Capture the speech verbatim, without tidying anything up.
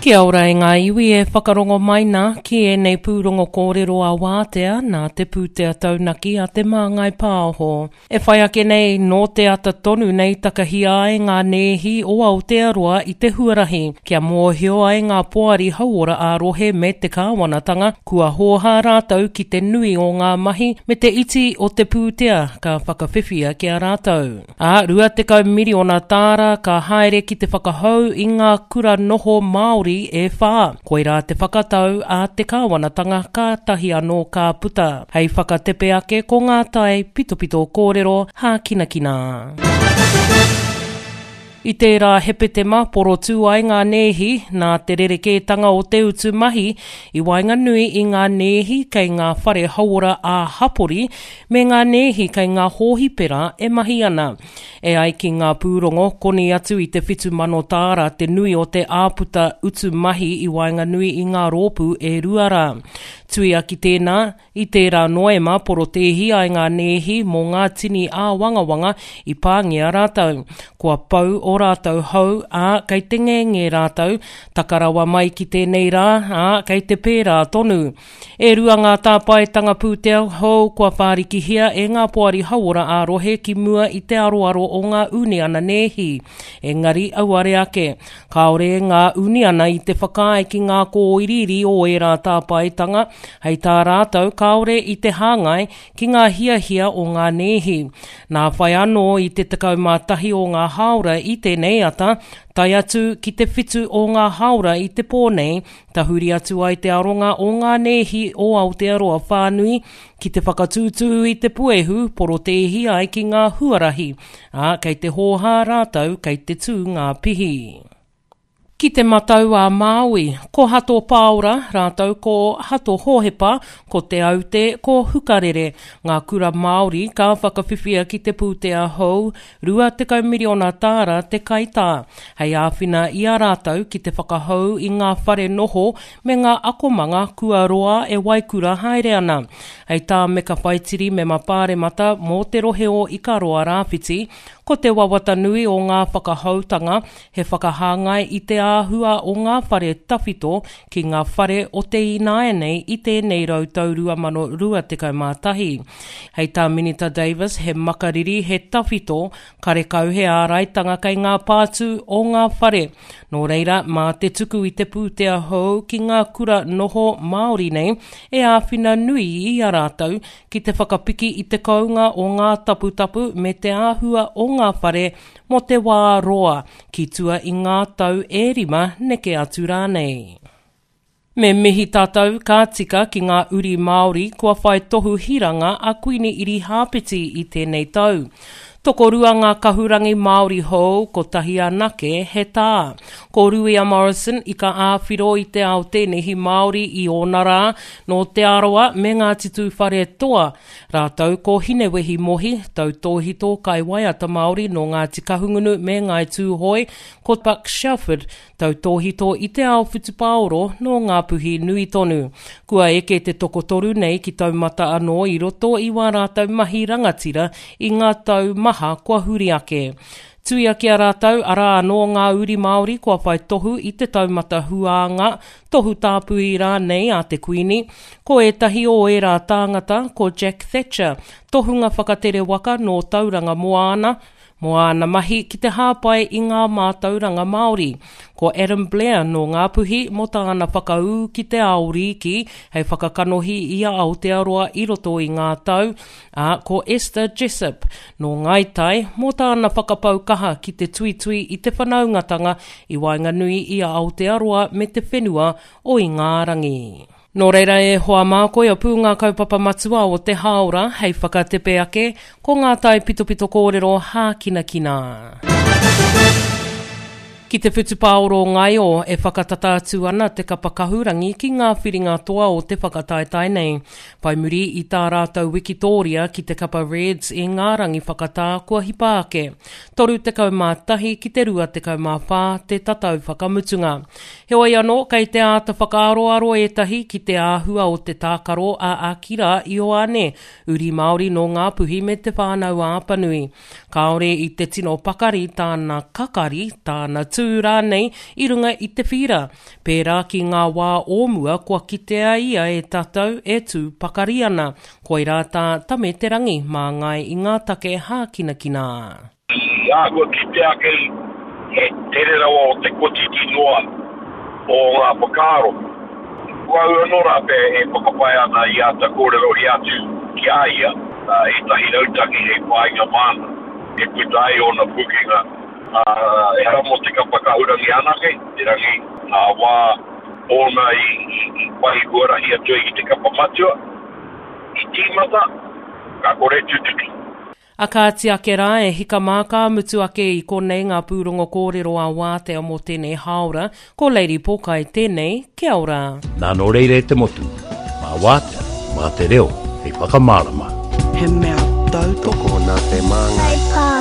Kia ora e ngā iwi e whakarongo mai nā ki ēnei pūrongo kōrero a wātea nā te pūtea taunaki a Te Māngai Pāho. E whai ake nei nō te ata tonu nei takahia ai ngā nēhi o Aotearoa i te huarahi, kia mōhio ai ngā poari hauora ā-rohe me te kāwanatanga kua hōhā rātou ki te nui o ngā mahi me te iti o te pūtea ka whakawhiwhia ki a rātou. Ā, rua tekau miriona tāra ka haere ki te whakahou i ngā kura noho Māori e whā. Koirā te whakatau a te kāwanatanga ka tahi anō ka puta. Hei whakatepe ake ko ngā tai pitopito kōrero hākinakina. I tērā Hepetema porotū ai ngā nēhi nā te rerekētanga o te utu mahi i waenganui i ngā nēhi kei ngā whare hauora ā-hapori me ngā nēhi kei ngā hōhipera e mahi ana. E ai ki ngā pūrongo, koni atu i te whitu mano tāra te nui o te āputa utu mahi i waenganui i ngā rōpū e rua rā. Tuia ki tēnā, i tērā Noema porotēhi ai ngā nēhi mō ngā tini āwangawanga i pāngia rātou. Kua pau o rātou hou, ā, kei te ngenge rātou, takarawa mai ki tēnei rā, ā, kei te pērā tonu. E rua ngā tāpaetanga pūtea hou kua whārikihia e ngā poari hauora ā-rohe ki mua i te aroaro o ngā uniana nēhi. Engari auare ake, kāore ngā uniana i te whakaae ki ngā kōiriiri o ērā tāpaetanga, hei tā rātou kāore i te hāngai ki ngā hiahia o ngā nēhi. Nā whai anō i te tekau mā tahi o ngā hāora i tēnei ata, tae atu ki te whitu o ngā hāora i te pō nei, tahuri atu ai te aronga o ngā nēhi o Aotearoa whānui ki te whakatūtū i te puehu porotēhi ai ki ngā huarahi, ā, kei te hōhā rātou kei te tū ngā pihi. Ki te matau a Māui, ko Hato Pāora, rātou ko Hato Hōhepa, ko Te Aute, ko Hukarere, ngā kura Māori ka whakawhiwhia ki te pūtea hou rua tekau miriona tāra te kaitā, hei āwhina i a rātou ki te whakahou i ngā whare noho me ngā akomanga kua roa e waikura haere ana. Hei tā Meka Whaitiri mema pāremata mō te rohe o Ikaroa Rāwhiti, ko te wawata nui o ngā whakahoutanga he whakahāngai i te āhua o ngā whare tawhito ki ngā whare o te ināianei i tēnei rautau rua mano rua tekau mā tahi. Hei tā Minita Davis, he makariri, he tawhito, karekau he āraitanga kei ngā pātū o ngā whare. Nō reira, mā te tuku i te pūtea hou ki ngā kura noho Māori nei e āwhina nui i a rātou ki te whakapiki i te kounga o ngā taputapu me te āhua o ngā whare mō te wā roa, ki tua i ngā tau e rima neke atu rānei. Me mihi tātou ka tika ki ngā uri Māori kua whai tohu hiranga a Kuini Irihāpeti i tēnei tau. Tokorua ngā kahurangi Māori hou, kotahi anake he tā. Ko Ruia Morrison i ka āwhiro i te ao tēnehi Māori i ōna rā, nō Te Arawa me Ngāti Tūwharetoa. Rātou ko Hinewehi Mohi, tautōhito kaiwaiata Māori nō Ngāti Kahungunu me Ngāi Tūhoe, ko Buck Shelford, tautōhito i te ao whutupaoro nō Ngāpuhi nui tonu. Kua eke te tokotoru nei ki taumata anō i roto i wā rātou mahi rangatira i ngā tau maha kua huri ake. Tuia ki a rātou, arā anō ngā uri Māori kua whai tohu i te taumata huānga, tohu tāpui rānei a te Kuini. Ko ētahi o ērā tāngata, ko Jack Thatcher, tohunga whakatere waka nō Tauranga Moana, mō āna mahi ki te hāpai i ngā mātauranga Māori. Ko Adam Blair nō Ngāpuhi mō tāna whakaū ki te ao rīki hei whakakanohi i a Aotearoa i roto i ngā tau, ā, ko Esther Jessop nō Ngāi Tai mō tāna whakapau kaha ki te tuitui i te whanaungatanga i waenganui i a Aotearoa me te whenua o Ingarangi. Nō reira e hoa mā, koia pū ngā kaupapa matua o te hāora hei whakatepe ake ko ngā tai pitopito kōrero hākinakina. Ki te whutupaoro ngaio e whakatata atu ana te kapa kahurangi ki ngā whiringa toa o te whakataetae nei. Whai muri i tā rātou wikitōria ki te kapa Reds i ngā rangi whakatā kua hipa ake. Toru tekau mā tahi ki te rua tekau mā whā te tatau whakamutunga. Heoi anō, kei te āta whakaaroaro ētahi ki te āhua o te tākaro a Akira Ioane, uri Māori nō Ngāpuhi me te whānau Apanui. Kāore i te tino pakari tāna kakari, tāna tū tū rānei i runga i te whīra. Pērā ki ngā wā o mua kua kitea ia e tātou e tū pakari ana. Koirā tā Tame Te Rangi māngai i ngā take hākinakina. I āhua kite ake he tere rawa o te kotiti noa o ngā whakaaro. Ko au anō rā pea e whakapae ana i āta kōrerohia atu ki a ia ētahi rautaki hei whāinga māna e puta ai ōna pūkenga, ā, ehara mō te kapa kahurangi anake, erangi ngā wā ōna i, i, i whai huarahi atu ai ki te kapa matua, i tīmata, ka kore tutuki. A kāti ake rā e hika mā ka mutu ake i konei ngā pūrongo kōrero a Wātea mō tēnei hāora, ko Lady Pōkai tēnei, kia ora. Nā nō reira e te motu, mā Wātea, mā te reo, hei whakamārama. He mea tautoko Tokona te māngai. Kai pā.